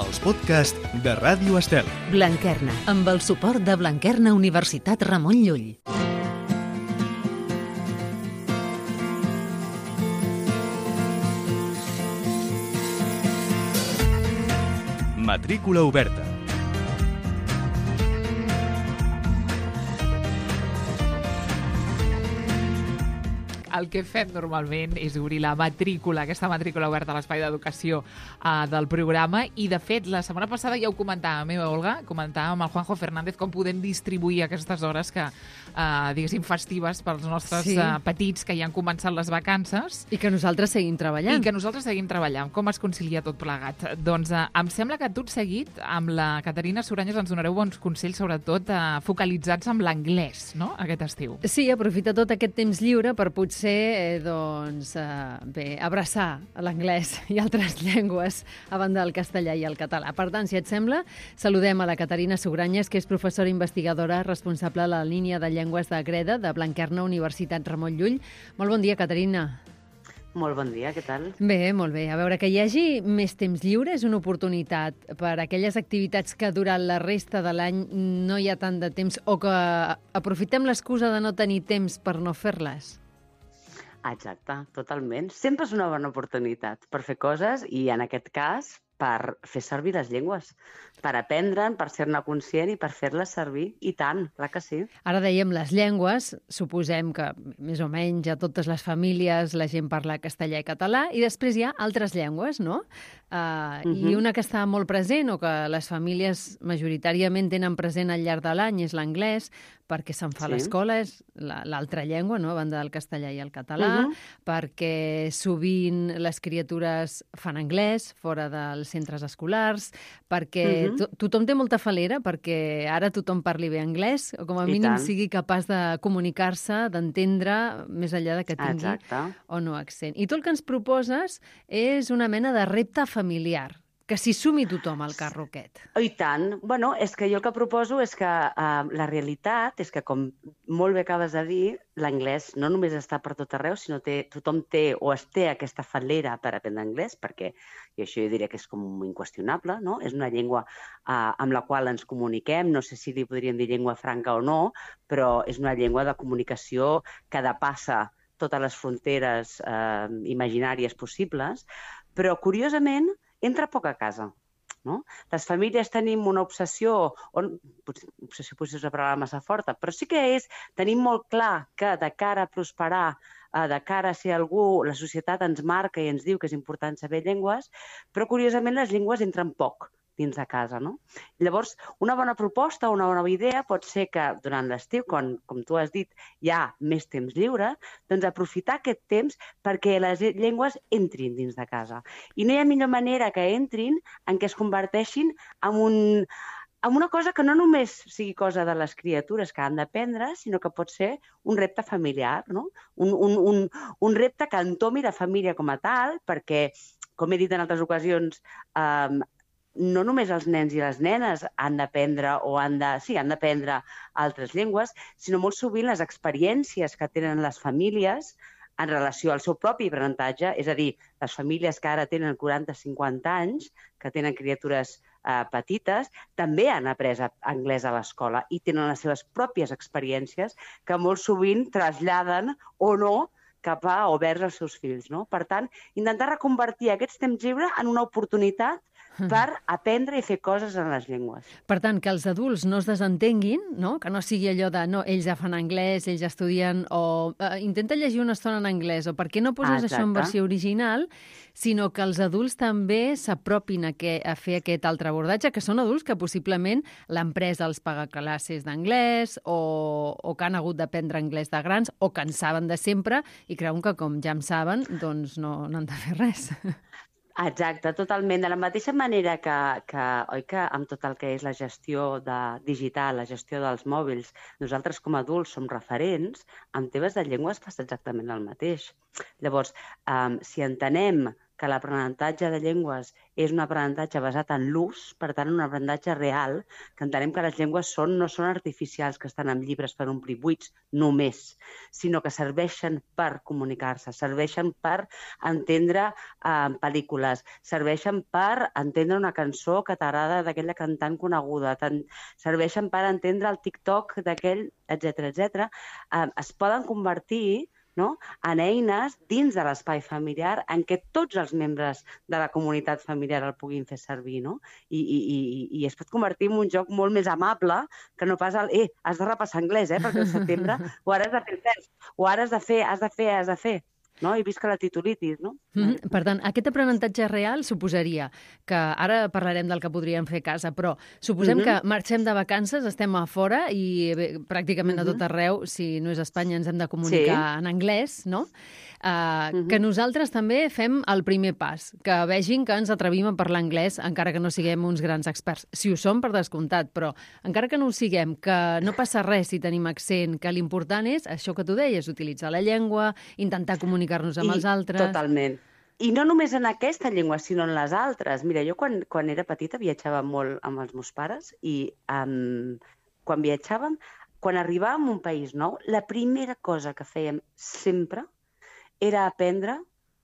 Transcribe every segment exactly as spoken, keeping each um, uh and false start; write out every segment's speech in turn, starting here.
els podcasts de Ràdio Estel. Blanquerna, amb el suport de Blanquerna Universitat Ramon Llull. Matrícula oberta. El que fem normalment és obrir la matrícula, aquesta matrícula oberta a l'espai d'educació uh, del programa, i de fet la setmana passada ja ho comentàvem, eh, Olga? Comentàvem amb el Juanjo Fernández com podem distribuir aquestes hores que, uh, diguéssim, festives pels nostres sí. uh, petits que ja han començat les vacances. I que nosaltres seguim treballant. I que nosaltres seguim treballant. Com es concilia tot plegat? Doncs uh, em sembla que tot seguit amb la Caterina Soranyes ens donareu bons consells, sobretot uh, focalitzats amb l'anglès, no?, aquest estiu. Sí, aprofita tot aquest temps lliure per potser eh, doncs, eh, bé, abraçar l'anglès i altres llengües a banda del castellà i el català. Per tant, si et sembla, saludem a la Caterina Soranyes, que és professora investigadora responsable de la línia de llengües de Greda de Blanquerna Universitat Ramon Llull. Molt bon dia, Caterina. Molt bon dia, què tal? Bé, molt bé. A veure, que hi hagi més temps lliure és una oportunitat per a aquelles activitats que durant la resta de l'any no hi ha tant de temps o que aprofitem l'excusa de no tenir temps per no fer-les. Exacte, totalment. Sempre és una bona oportunitat per fer coses i, en aquest cas, per fer servir les llengües, per aprendre'n, per ser-ne conscient i per fer-les servir. I tant, clar que sí. Ara dèiem les llengües, suposem que més o menys a totes les famílies la gent parla castellà i català, i després hi ha altres llengües, no? Uh, uh-huh. I una que està molt present o que les famílies majoritàriament tenen present al llarg de l'any és l'anglès, perquè se'n fa sí. a l'escola, és l'altra llengua, no?, a banda del castellà i el català, uh-huh. perquè sovint les criatures fan anglès fora dels centres escolars, perquè uh-huh. to tothom té molta falera, perquè ara tothom parli bé anglès, o com a I mínim tant. sigui capaç de comunicar-se, d'entendre, més enllà de que tingui Exacte. o no accent. I tu el que ens proposes és una mena de repte familiar, que s'hi sumi tothom al carro aquest. I tant. Bueno, és que jo el que proposo és que uh, la realitat és que, com molt bé acabes de dir, l'anglès no només està per tot arreu, sinó que tothom té o es té aquesta fal·lera per aprendre anglès, perquè, i això jo diria que és com inqüestionable, no? És una llengua uh, amb la qual ens comuniquem, no sé si li podríem dir llengua franca o no, però és una llengua de comunicació que depassa totes les fronteres uh, imaginàries possibles, però, curiosament, entra poc a casa, no? Les famílies tenim una obsessió, o, obsessió potser és una paraula massa forta, però sí que és, tenim molt clar que de cara a prosperar, de cara a ser algú, la societat ens marca i ens diu que és important saber llengües, però curiosament les llengües entren poc dins de casa, no? Llavors, una bona proposta, una bona idea pot ser que durant l'estiu, quan, com tu has dit, hi ha més temps lliure, doncs aprofitar aquest temps perquè les llengües entrin dins de casa. I no hi ha millor manera que entrin en què es converteixin en un... amb una cosa que no només sigui cosa de les criatures que han d'aprendre, sinó que pot ser un repte familiar, no? Un, un, un, un repte que entomi la família com a tal, perquè, com he dit en altres ocasions, eh, no només els nens i les nenes han d'aprendre o han de, sí, han d'aprendre altres llengües, sinó molt sovint les experiències que tenen les famílies en relació al seu propi aprenentatge, és a dir, les famílies que ara tenen quaranta a cinquanta anys, que tenen criatures eh, petites, també han après anglès a l'escola i tenen les seves pròpies experiències que molt sovint traslladen o no cap a o vers als seus fills, no? Per tant, intentar reconvertir aquests temps lliure en una oportunitat per aprendre i fer coses en les llengües. Per tant, que els adults no es desentenguin, no? Que no sigui allò de no, ells ja fan anglès, ells ja estudien, o eh, intenta llegir una estona en anglès, o per què no poses Exacte. això en versió original, sinó que els adults també s'apropin a, que, a fer aquest altre abordatge, que són adults que possiblement l'empresa els paga classes d'anglès o, o que han hagut d'aprendre anglès de grans o que en saben de sempre i creuen que com ja en saben, doncs no, no han de fer res. Exacte, totalment. De la mateixa manera que, que, oi que amb tot el que és la gestió de, digital, la gestió dels mòbils, nosaltres com a adults som referents, amb temes de llengües passa exactament el mateix. Llavors, um, si entenem que l'aprenentatge de llengües és un aprenentatge basat en l'ús, per tant, un aprenentatge real, que entenem que les llengües són, no són artificials, que estan en llibres per omplir buits només, sinó que serveixen per comunicar-se, serveixen per entendre eh, pel·lícules, serveixen per entendre una cançó que t'agrada d'aquella cantant coneguda, serveixen per entendre el TikTok d'aquell, etcètera, etcètera. Eh, es poden convertir, no?, en eines dins de l'espai familiar en què tots els membres de la comunitat familiar el puguin fer servir, no? I, i, i, i es pot convertir en un joc molt més amable que no pas el, eh, has de repassar anglès, eh, perquè al setembre o ara has de fer el test, o ara has de fer, has de fer, has de fer. No? I visca la titulitis, no? Mm-hmm. Per tant, aquest aprenentatge real suposaria que, ara parlarem del que podríem fer a casa, però suposem mm-hmm. que marxem de vacances, estem a fora i bé, pràcticament mm-hmm. a tot arreu, si no és Espanya, ens hem de comunicar sí. en anglès, no? Uh, mm-hmm. Que nosaltres també fem el primer pas, que vegin que ens atrevim a parlar anglès, encara que no siguem uns grans experts. Si ho som, per descomptat, però encara que no ho siguem, que no passa res si tenim accent, que l'important és això que tu deies, utilitzar la llengua, intentar comunicar-nos amb I, els altres. Totalment. I no només en aquesta llengua, sinó en les altres. Mira, jo quan, quan era petita viatjava molt amb els meus pares i um, quan viatjàvem, quan arribàvem a un país nou, la primera cosa que fèiem sempre era aprendre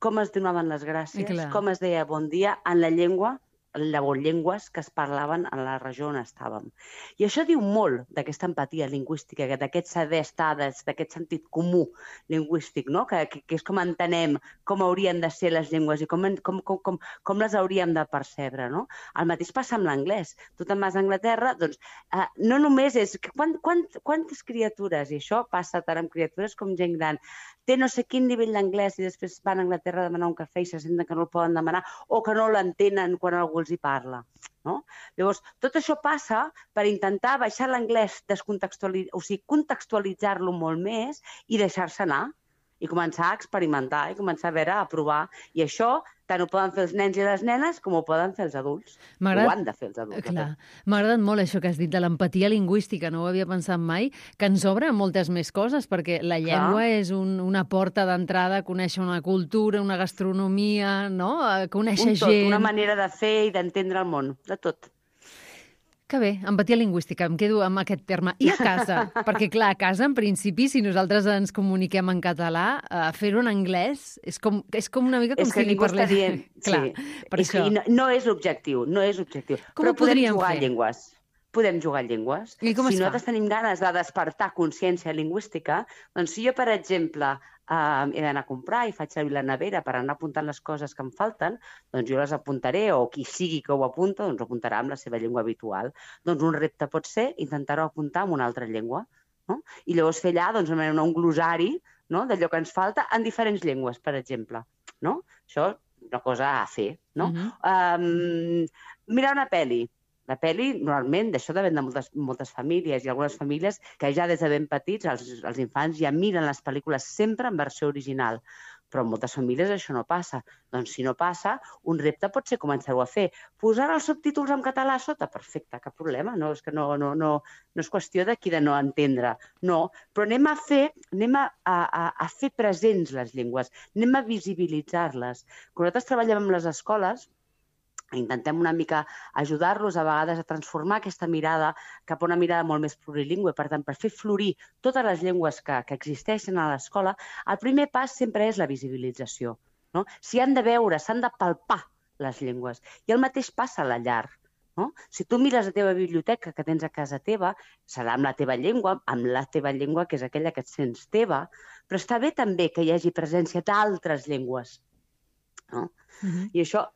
com es donaven les gràcies, com es deia bon dia en la llengua, llengües que es parlaven en la regió on estàvem. I això diu molt d'aquesta empatia lingüística, d'aquest saber estar, d'aquest sentit comú lingüístic, no? que, que, que és com entenem com haurien de ser les llengües i com, com, com, com, com les hauríem de percebre. No? El mateix passa amb l'anglès. Tu te'n vas a Anglaterra, doncs eh, no només és... Quant, quant, quantes criatures, i això passa tant amb criatures com gent gran, té no sé quin nivell d'anglès i després van a Anglaterra a demanar un cafè i se senten que no el poden demanar o que no l'entenen quan algú els hi parla. No? Llavors, tot això passa per intentar baixar l'anglès, descontextualitzar, o sigui, contextualitzar-lo molt més i deixar-se anar i començar a experimentar i començar a veure, a provar. I això tant ho poden fer els nens i les nenes com ho poden fer els adults. Ho han de fer els adults. Clar. M'ha agradat molt això que has dit de l'empatia lingüística, no ho havia pensat mai, que ens obre moltes més coses, perquè la llengua Clar. és un, una porta d'entrada a conèixer una cultura, una gastronomia, no? A conèixer un tot, gent... Una manera de fer i d'entendre el món, de tot. Que bé, empatia lingüística, em quedo amb aquest terme. I a casa? Perquè, clar, a casa, en principi, si nosaltres ens comuniquem en català, eh, fer-ho en anglès és com, és com una mica com és si li parlés... Dient, clar, sí. per és això. No, no és l'objectiu, no és l'objectiu. Com Però ho podem podríem jugar fer? a llengües. Podem jugar a llengües. I com si es fa? nosaltres tenim ganes de despertar consciència lingüística, doncs si jo, per exemple, Uh, he d'anar a comprar i faig servir la nevera per anar apuntant les coses que em falten, doncs jo les apuntaré, o qui sigui que ho apunta, doncs ho apuntarà amb la seva llengua habitual. Doncs un repte pot ser intentar-ho apuntar en una altra llengua, no? I llavors fer allà doncs, un glosari, no?, d'allò que ens falta en diferents llengües, per exemple. No? Això és una cosa a fer. No? Uh-huh. um, mirar una pel·li. La pel·li, normalment, d'això depèn de moltes, moltes famílies, i algunes famílies que ja des de ben petits, els, els infants ja miren les pel·lícules sempre en versió original. Però en moltes famílies això no passa. Doncs si no passa, un repte pot ser començar-ho a fer. Posar els subtítols en català a sota? Perfecte, cap problema. No, és que no, no, no, no és qüestió d'aquí de no entendre. No, però anem a fer, anem a, a, a fer presents les llengües, anem a visibilitzar-les. Quan nosaltres treballem amb les escoles, intentem una mica ajudar-los a vegades a transformar aquesta mirada cap a una mirada molt més plurilingüe. Per tant, per fer florir totes les llengües que, que existeixen a l'escola, el primer pas sempre és la visibilització. No? S'hi han de veure, s'han de palpar les llengües. I el mateix passa a la llar. No? Si tu mires la teva biblioteca que tens a casa teva, serà amb la teva llengua, amb la teva llengua, que és aquella que et sents teva, però està bé també que hi hagi presència d'altres llengües. No? Uh-huh. I això...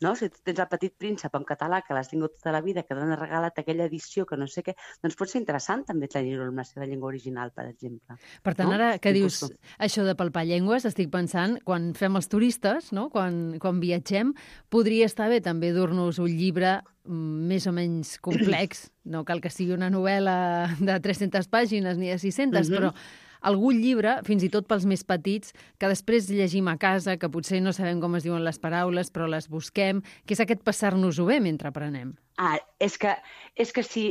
No? Si tu tens el Petit Príncep en català, que l'has tingut tota la vida, que t'han regalat aquella edició que no sé què, doncs pot ser interessant també tenir-ho en la seva llengua original, per exemple. Per tant, no? ara que I dius pues... això de palpar llengües, estic pensant, quan fem els turistes, no? quan, quan viatgem, podria estar bé també dur-nos un llibre més o menys complex, no cal que sigui una novel·la de tres-centes pàgines ni de sis-centes, mm-hmm. però algun llibre, fins i tot pels més petits, que després llegim a casa, que potser no sabem com es diuen les paraules, però les busquem, que és aquest passar-nos-ho bé mentre aprenem. Ah, és que, és que si...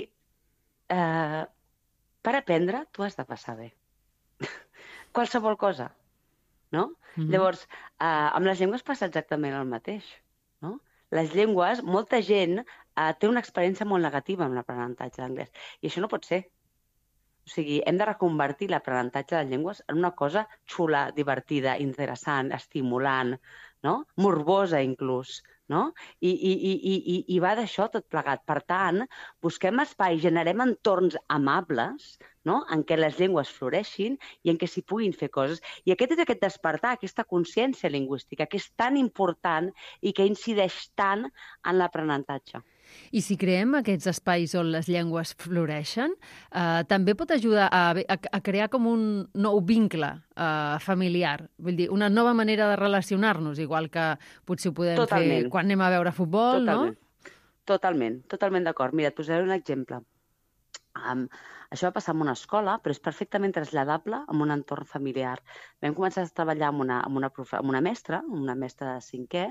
Eh, per aprendre, tu has de passar bé. Qualsevol cosa. no? Mm-hmm. Llavors, eh, amb les llengües passa exactament el mateix, no? Les llengües, molta gent eh, té una experiència molt negativa amb l'aprenentatge d'anglès, i això no pot ser. O sigui, hem de reconvertir l'aprenentatge de llengües en una cosa xula, divertida, interessant, estimulant, no? Morbosa, inclús, no? I, i, i, i, i va d'això tot plegat. Per tant, busquem espais, generem entorns amables, no? En què les llengües floreixin i en què s'hi puguin fer coses. I aquest és aquest despertar, aquesta consciència lingüística, que és tan important i que incideix tant en l'aprenentatge. I si creem aquests espais on les llengües floreixen, eh, també pot ajudar a, a, a crear com un nou vincle eh, familiar. Vull dir, una nova manera de relacionar-nos, igual que potser ho podem Totalment. fer quan anem a veure futbol, totalment. no? Totalment, totalment d'acord. Mira, et posaré un exemple. Um, això va passar en una escola, però és perfectament traslladable en un entorn familiar. Vam començar a treballar amb una, amb una, profe, amb una mestra, una mestra de cinquè,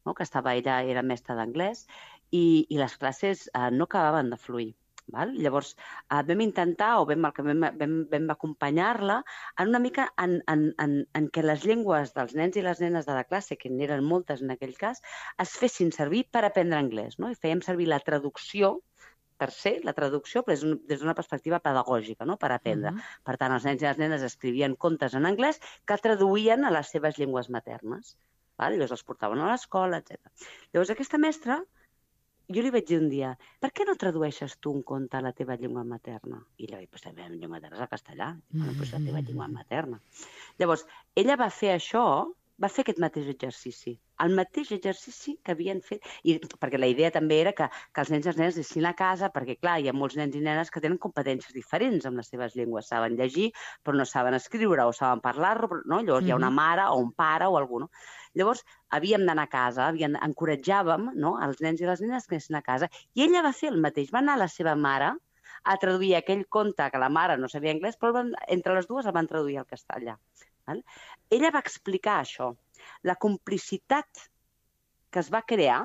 no? Que estava, ella era mestra d'anglès, i, i les classes eh, no acabaven de fluir. Val? Llavors, eh, vam intentar, o vam, vam, vam, vam acompanyar-la en una mica en, en, en, en què les llengües dels nens i les nenes de la classe, que n'eren moltes en aquell cas, es fessin servir per aprendre anglès, no? I fèiem servir la traducció, per ser la traducció, però és un, des d'una perspectiva pedagògica, no? Per aprendre. Uh-huh. Per tant, els nens i les nenes escrivien contes en anglès que traduïen a les seves llengües maternes. Val? Llavors els portaven a l'escola, etcètera. Llavors aquesta mestra, jo li vaig dir un dia, per què no tradueixes tu un conte a la teva llengua materna? I ella va dir, pues la meva llengua materna és el castellà. Bueno, pues la teva llengua materna. Llavors, ella va fer això, va fer aquest mateix exercici. El mateix exercici que havien fet, i, perquè la idea també era que, que els nens i les nenes anessin a casa, perquè clar, hi ha molts nens i nenes que tenen competències diferents amb les seves llengües, saben llegir, però no saben escriure o saben parlar-lo, no? Llavors mm-hmm. hi ha una mare o un pare o algú, no? Llavors havíem d'anar a casa, havíem, encoratjàvem, no? Els nens i les nenes que anessin a casa, i ella va fer el mateix, va anar a la seva mare a traduir aquell conte que la mare no sabia anglès, però entre les dues el van traduir al castellà. Val? Ella va explicar això, la complicitat que es va crear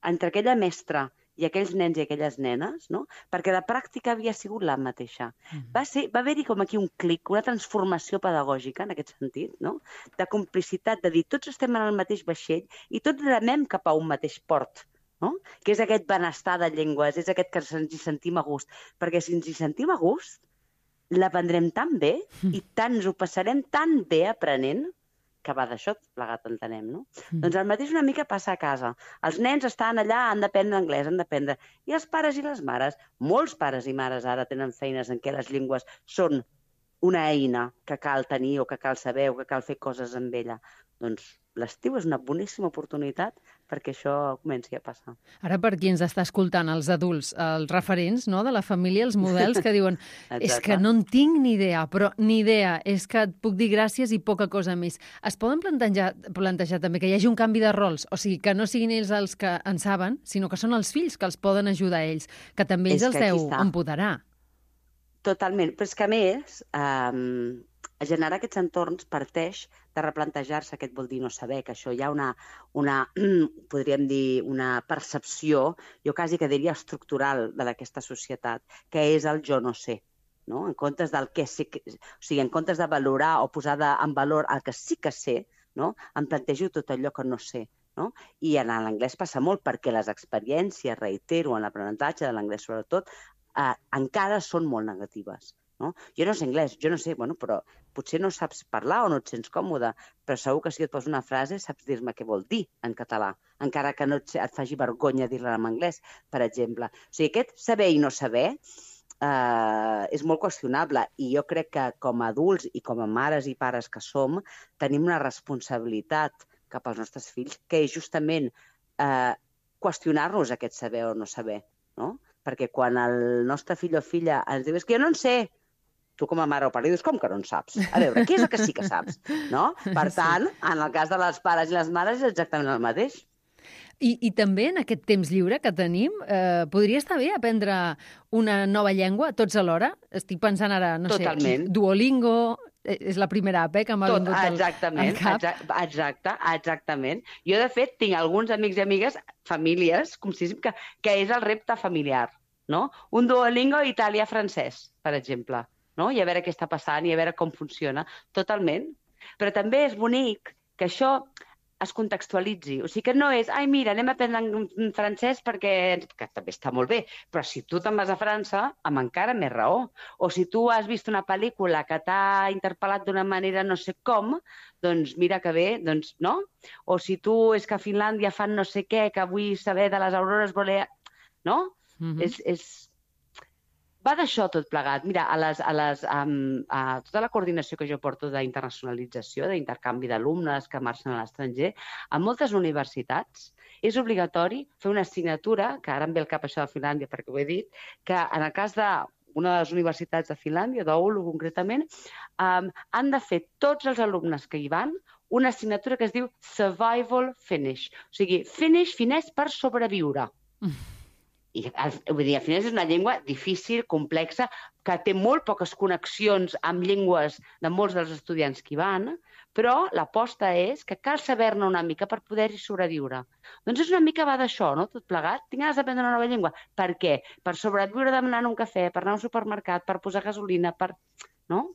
entre aquella mestra i aquells nens i aquelles nenes, no? Perquè la pràctica havia sigut la mateixa. Mm. Va ser, va haver-hi com aquí un clic, una transformació pedagògica en aquest sentit, no? De complicitat, de dir tots estem en el mateix vaixell i tots remem cap a un mateix port, no? Que és aquest benestar de llengües, és aquest que ens hi sentim a gust. Perquè si ens hi sentim a gust, l'aprendrem tan bé i tant ens ho passarem tan bé aprenent, que va d'això plegat, entenem, no? Mm. Doncs el mateix una mica passa a casa. Els nens estan allà, han d'aprendre anglès, han d'aprendre. I els pares i les mares, molts pares i mares ara tenen feines en què les llengües són una eina que cal tenir o que cal saber o que cal fer coses amb ella. Doncs l'estiu és una boníssima oportunitat perquè això comenci a passar. Ara, per qui ens està escoltant, els adults, els referents, no?, de la família, els models que diuen és que no en tinc ni idea, però ni idea, és que et puc dir gràcies i poca cosa més. Es poden plantejar, plantejar també que hi hagi un canvi de rols, o sigui, que no siguin ells els que en saben, sinó que són els fills que els poden ajudar a ells, que també ells els deu empoderar. Totalment, però és que a més, eh, generar aquests entorns parteix de replantejar-se què et vol dir no saber, que això hi ha una, una podríem dir, una percepció, jo quasi que diria estructural d'aquesta societat, que és el jo no sé, no? En comptes del que sí que, o sigui, en comptes de valorar o posar de, en valor el que sí que sé, no? Em plantejo tot allò que no sé. No? I en l'anglès passa molt perquè les experiències, reitero, en l'aprenentatge de l'anglès sobretot, eh, encara són molt negatives. No? Jo no sé anglès, jo no sé, bueno, però potser no saps parlar o no et sents còmode, però segur que si et poso una frase saps dir-me què vol dir en català, encara que no et, et faci vergonya dir-la en anglès, per exemple. O sigui, aquest saber i no saber eh, és molt qüestionable i jo crec que com a adults i com a mares i pares que som, tenim una responsabilitat cap als nostres fills, que és justament eh, qüestionar-nos aquest saber o no saber, no? Perquè quan el nostre fill o filla ens diu és que jo no en sé, tu com a mare o pare dius, com que no en saps? A veure, què és el que sí que saps? No? Per tant, en el cas de les pares i les mares és exactament el mateix. I, i també en aquest temps lliure que tenim, eh, podria estar bé aprendre una nova llengua tots alhora? Estic pensant ara, no Totalment. sé, Duolingo, és la primera app eh, que m'ha Tot, vingut al, exactament, al cap. Exacte, exacte, exactament. Jo, de fet, tinc alguns amics i amigues, famílies, com si que, que és el repte familiar, no? Un Duolingo italià-francès, per exemple, no? I a veure què està passant i a veure com funciona. Totalment. Però també és bonic que això es contextualitzi. O sigui que no és, ai, mira, anem a aprendre francès perquè... que també està molt bé, però si tu te'n vas a França, amb encara més raó. O si tu has vist una pel·lícula que t'ha interpel·lat d'una manera no sé com, doncs mira que bé, doncs no? O si tu és que a Finlàndia fan no sé què, que vull saber de les aurores boreals, no? Mm-hmm. És... és... Va d'això tot plegat. Mira, a, les, a, les, um, a tota la coordinació que jo porto d'internacionalització, d'intercanvi d'alumnes que marxen a l'estranger, a moltes universitats és obligatori fer una assignatura, que ara em ve al cap això de Finlàndia perquè ho he dit, que en el cas d'una de les universitats de Finlàndia, d'Oulu concretament, um, han de fer tots els alumnes que hi van una assignatura que es diu Survival Finnish. O sigui, Finnish, finès per sobreviure. Mm. I, vull dir, al final és una llengua difícil, complexa, que té molt poques connexions amb llengües de molts dels estudiants que hi van, però l'aposta és que cal saber-ne una mica per poder-hi sobreviure. Doncs és una mica va d'això, no?, tot plegat. Tinc ganes d'aprendre una nova llengua. Per què? Per sobreviure demanant un cafè, per anar a un supermercat, per posar gasolina, per... no?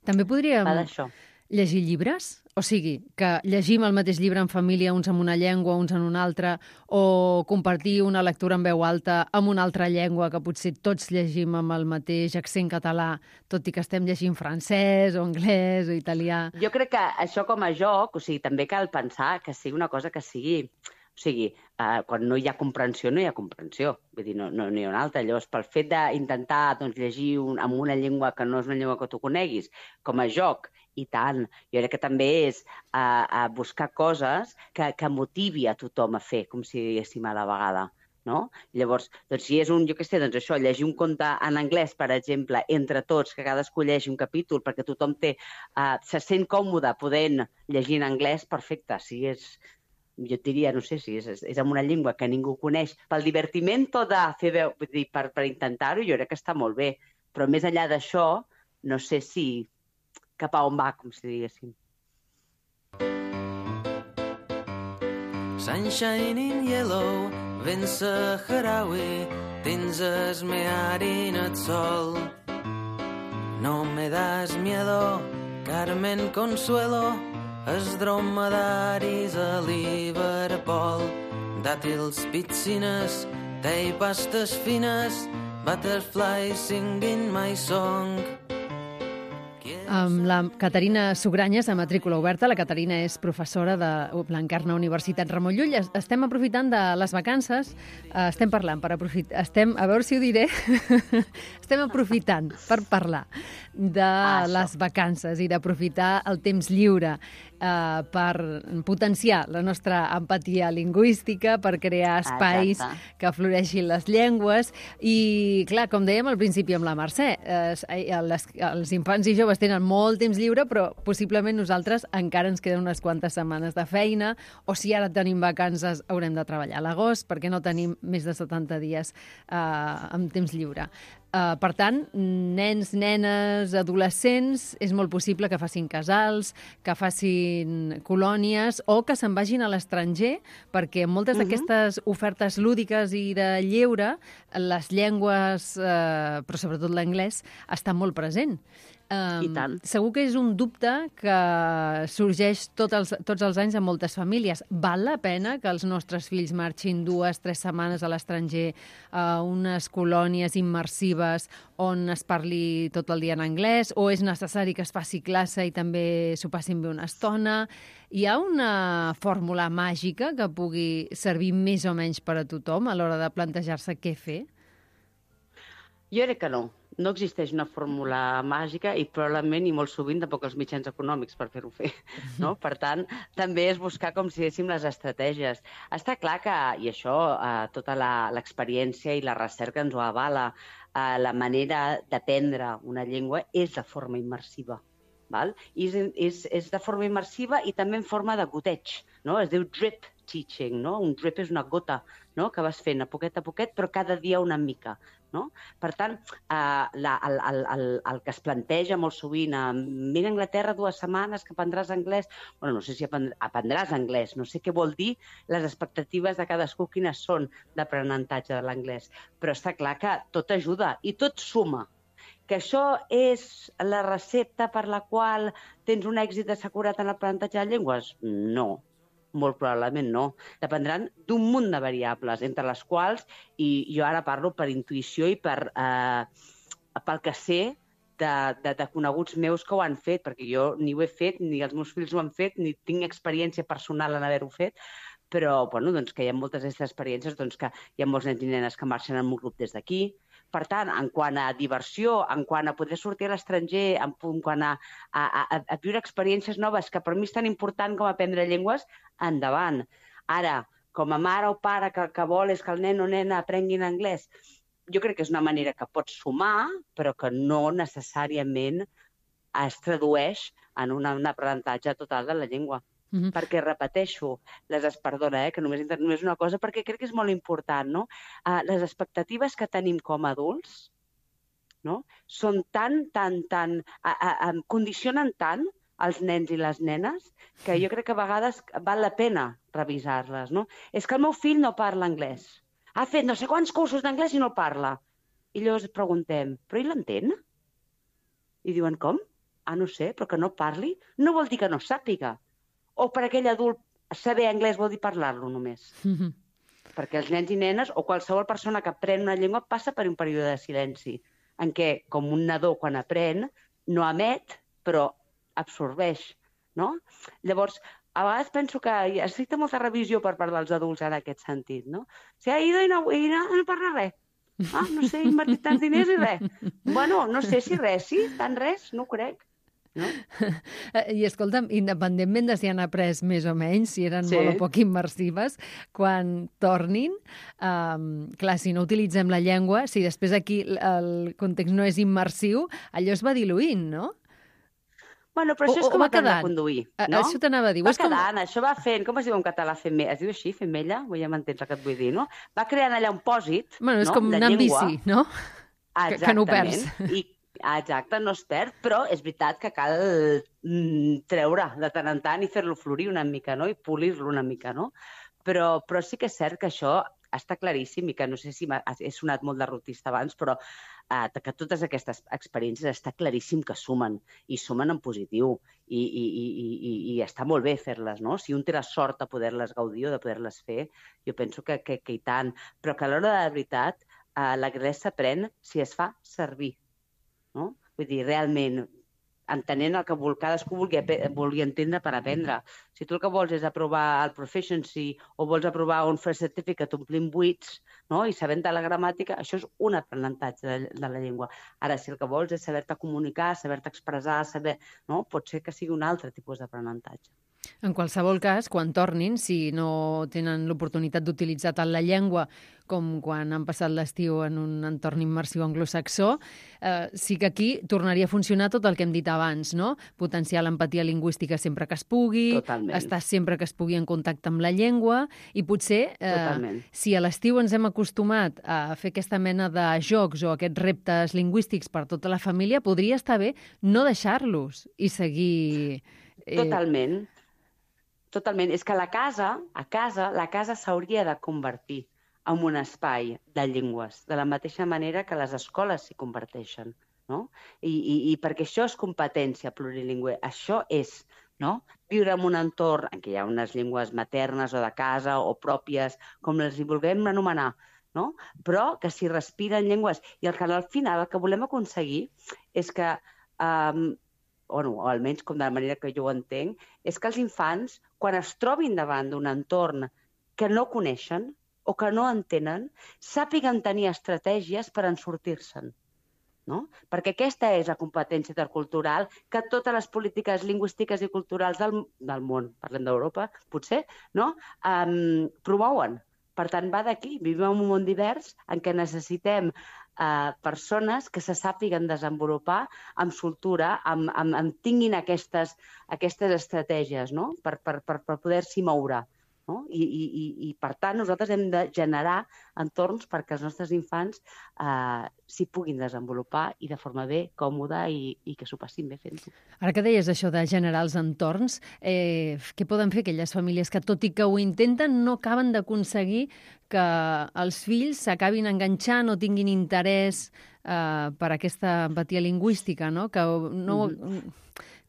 També podríem va d'això. Llegir llibres? O sigui, que llegim el mateix llibre en família, uns amb una llengua, uns en una altra, o compartir una lectura en veu alta amb una altra llengua que potser tots llegim amb el mateix accent català, tot i que estem llegint francès o anglès o italià. Jo crec que això com a joc, o sigui, també cal pensar que sigui una cosa que sigui... O sigui, eh, quan no hi ha comprensió, no hi ha comprensió. Vull dir, no, no, no hi ha una altra. Llavors, pel fet d'intentar doncs, llegir un, amb una llengua que no és una llengua que tu coneguis, com a joc, i tant. Jo crec que també és a, a buscar coses que, que motivi a tothom a fer, com si diguéssim a la vegada. No? Llavors, doncs, si és un, jo què sé, doncs això, llegir un conte en anglès, per exemple, entre tots, que cadascú llegeixi un capítol, perquè tothom té, uh, se sent còmode podent llegir en anglès, perfecte. Si és, jo et diria, no sé, si és, és en una llengua que ningú coneix, pel divertimento de fer veu, vull dir, per, per intentar-ho, jo crec que està molt bé. Però més enllà d'això, no sé si cap a on va, com si diguéssim. Sunshine in yellow, vent saharaui, tens esmear en el sol. No me das miedo, Carmen Consuelo, els dromedaris a Liverpool. Dàtils, pizzines, té i pastes fines, butterflies singing my song. Amb la Caterina Sugranyes, a matrícula oberta. La Caterina és professora de l'Encarna Universitat Ramon Llull. Estem aprofitant de les vacances, estem parlant per aprofitar, estem, a veure si ho diré, estem aprofitant per parlar de ah, les vacances i d'aprofitar el temps lliure eh, per potenciar la nostra empatia lingüística, per crear espais Exacte. Que floreixin les llengües. I, clar, com dèiem al principi amb la Mercè, eh, les, els infants i joves tenen molt temps lliure, però possiblement nosaltres encara ens queden unes quantes setmanes de feina, o si ara tenim vacances haurem de treballar a l'agost, perquè no tenim més de setanta dies eh, amb temps lliure. Uh, per tant, nens, nenes, adolescents, és molt possible que facin casals, que facin colònies o que se'n vagin a l'estranger, perquè moltes uh-huh. d'aquestes ofertes lúdiques i de lleure, les llengües, uh, però sobretot l'anglès, estan molt present. Um, I tant. Segur que és un dubte que sorgeix tots els, tots els anys a moltes famílies. Val la pena que els nostres fills marxin dues, tres setmanes a l'estranger a unes colònies immersives on es parli tot el dia en anglès, o és necessari que es faci classe i també s'ho passin bé una estona? Hi ha una fórmula màgica que pugui servir més o menys per a tothom a l'hora de plantejar-se què fer? Jo crec que no. No existeix una fórmula màgica i probablement i molt sovint tampoc els mitjans econòmics per fer-ho fer. No? Per tant, també és buscar, com si diguéssim, les estratègies. Està clar que, i això, eh, tota l'experiència i la recerca ens ho avala, eh, la manera d'aprendre una llengua és de forma immersiva. Val? I és, és, és de forma immersiva i també en forma de goteig. No? Es diu drip teaching. No? Un drip és una gota, no? Que vas fent a poquet a poquet, però cada dia una mica. No? Per tant, eh, la, el, el, el, el que es planteja molt sovint, eh, vine a Anglaterra dues setmanes que aprendràs anglès, bueno, no sé si aprendràs anglès, no sé què vol dir les expectatives de cadascú quines són d'aprenentatge de l'anglès, però està clar que tot ajuda i tot suma. Que això és la recepta per la qual tens un èxit assegurat en l'aprenentatge de llengües? No, molt probablement no. Dependran d'un munt de variables, entre les quals, i jo ara parlo per intuïció i per, eh, pel que sé de, de, de coneguts meus que ho han fet, perquè jo ni ho he fet, ni els meus fills ho han fet, ni tinc experiència personal en haver-ho fet, però bueno, doncs, que hi ha moltes d'aquestes experiències, doncs, que hi ha molts nens i nenes que marxen en un grup des d'aquí. Per tant, en quant a diversió, en quant a poder sortir a l'estranger, en quant a, a, a, a viure experiències noves, que per mi és tan important com aprendre llengües, endavant. Ara, com a mare o pare que, que vol és que el nen o nena aprenguin anglès, jo crec que és una manera que pots sumar, però que no necessàriament es tradueix en una, un aprenentatge total de la llengua. Mm-hmm. Perquè, repeteixo, les es perdona, eh, que només, només una cosa, perquè crec que és molt important, no? Uh, les expectatives que tenim com a adults, no? Són tan, tan, tan... Uh, uh, uh, condicionen tant els nens i les nenes que jo crec que a vegades val la pena revisar-les, no? És que el meu fill no parla anglès. Ha fet no sé quants cursos d'anglès i no parla. I llavors preguntem, però ell l'entén? I diuen, com? Ah, no sé, però que no parli no vol dir que no sàpiga. O per aquell adult saber anglès vol dir parlar-lo només. Mm-hmm. Perquè els nens i nenes o qualsevol persona que aprèn una llengua passa per un període de silenci en què, com un nadó quan aprèn, no emet, però absorbeix, no? Llavors, a vegades penso que necessita molta revisió per part dels adults en aquest sentit, no? O sigui, ha ido i no, i no, no parla res. Ah, no sé, he invertit tants diners i res. Bueno, no sé si res, sí, tant res, no ho crec. No? I escolta'm, independentment de si han après més o menys, si eren sí. molt o poc immersives, quan tornin, um, clar, si no utilitzem la llengua, si després aquí el context no és immersiu, allò es va diluint, no? Bueno, però això o, és com aprendre a conduir, no? Això t'anava a dir. Va quedant, com... això va fent, com es diu en català, femella? Es diu així, femella? Ja m'entens el que et vull dir, no? Va creant allà un pòsit, bueno, és no? com anar amb bici, no? Que, que no ho perds. I exacte, no es perd, però és veritat que cal mm, treure de tant en tant i fer-lo florir una mica, no? I polir-lo una mica, no? Però, però sí que és cert que això està claríssim i que no sé si he sonat molt derrotista abans, però eh, que totes aquestes experiències està claríssim que sumen, i sumen en positiu, i, i, i, i, i està molt bé fer-les, no? Si un té la sort de poder-les gaudir o de poder-les fer, jo penso que, que, que i tant, però que a l'hora de la veritat eh, l'anglès s'aprèn si es fa servir. No? Vull dir, realment, entenent el que vol, cadascú vulgui, vulgui entendre per aprendre. Si tu el que vols és aprovar el Proficiency o vols aprovar un First Certificate omplint buits, no? I sabent de la gramàtica, això és un aprenentatge de, de la llengua. Ara, si el que vols és saber-te comunicar, saber-te expressar, saber... no? Pot ser que sigui un altre tipus d'aprenentatge. En qualsevol cas, quan tornin, si no tenen l'oportunitat d'utilitzar tant la llengua com quan han passat l'estiu en un entorn immersiu anglosaxó, eh, sí que aquí tornaria a funcionar tot el que hem dit abans, no? Potenciar l'empatia lingüística sempre que es pugui, Totalment. Estar sempre que es pugui en contacte amb la llengua, i potser, eh, si a l'estiu ens hem acostumat a fer aquesta mena de jocs o aquests reptes lingüístics per tota la família, podria estar bé no deixar-los i seguir... Eh... Totalment. Totalment. És que la casa, a casa, la casa s'hauria de convertir en un espai de llengües, de la mateixa manera que les escoles s'hi converteixen, no? I, i, i perquè això és competència plurilingüe, això és, no? Viure en un entorn en què hi ha unes llengües maternes o de casa o pròpies, com les hi vulguem anomenar, no? Però que s'hi respiren llengües. I el que al final el que volem aconseguir és que... Um, o no, o almenys com de la manera que jo ho entenc, és que els infants, quan es trobin davant d'un entorn que no coneixen o que no entenen, sàpiguen tenir estratègies per en sortir-se'n. No? Perquè aquesta és la competència intercultural que totes les polítiques lingüístiques i culturals del, del món, parlem d'Europa, potser, no? um, promouen. Per tant, va d'aquí. Vivim en un món divers en què necessitem Uh, persones que se sàpiguen desenvolupar amb soltura, amb, amb, amb tinguin aquestes, aquestes estratègies, no? per, per, per, per poder-s'hi moure. no? I, i, i, i, per tant, nosaltres hem de generar entorns perquè els nostres infants eh, s'hi puguin desenvolupar i de forma bé, còmoda i, i que s'ho passin bé fent-ho. Ara que deies això de generar els entorns, eh, què poden fer aquelles famílies que, tot i que ho intenten, no acaben d'aconseguir que els fills s'acabin enganxant o tinguin interès eh, per aquesta empatia lingüística, no? Que no... Mm-hmm.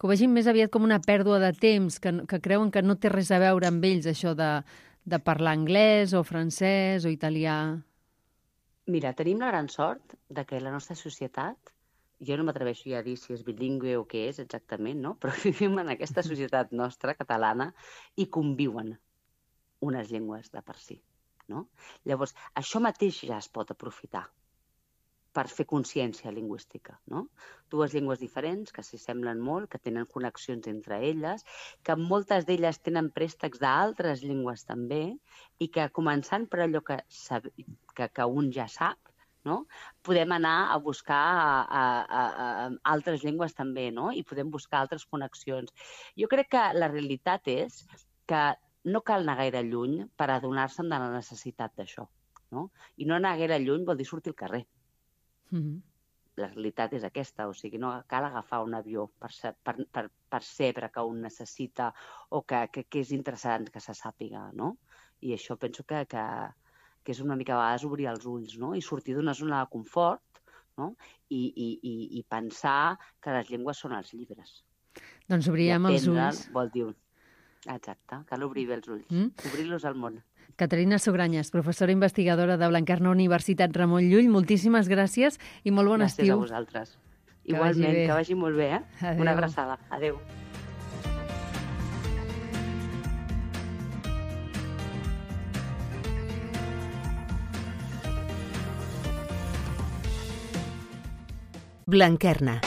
que ho vegin més aviat com una pèrdua de temps, que, que creuen que no té res a veure amb ells això de, de parlar anglès o francès o italià. Mira, tenim la gran sort de que la nostra societat, jo no m'atreveixo ja a dir si és bilingüe o què és exactament, no? Però vivim en aquesta societat nostra, catalana, i conviuen unes llengües de per si, no? Llavors, això mateix ja es pot aprofitar per fer consciència lingüística, no? Dues llengües diferents que s'hi semblen molt, que tenen connexions entre elles, que moltes d'elles tenen préstecs d'altres llengües també, i que començant per allò que, sab... que, que un ja sap, no? Podem anar a buscar a, a, a, a altres llengües també, no? I podem buscar altres connexions. Jo crec que la realitat és que no cal anar gaire lluny per adonar-se'n de la necessitat d'això, no? I no anar gaire lluny vol dir sortir al carrer. Mm-hmm. La realitat és aquesta, o sigui, no cal agafar un avió per, ser, per, per, per sempre que un necessita o que, que, que és interessant que se sàpiga, no? I això penso que, que, que és una mica a vegades obrir els ulls, no? I sortir d'una zona de confort, no? I, i, i, i pensar que les llengües són els llibres. Doncs obrirem els ulls. Vol dir... Exacte, cal obrir bé els ulls, mm? Obrir-los al món. Caterina Sugranyes, professora investigadora de Blanquerna Universitat Ramon Llull, moltíssimes gràcies i molt bon gràcies estiu. Gràcies a vosaltres. Que igualment, vagi que vagi molt bé, eh? Adéu. Una abraçada. Adéu. Blanquerna.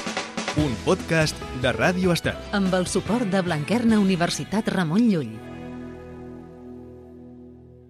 Un podcast de Ràdio Estel. Amb el suport de Blanquerna Universitat Ramon Llull.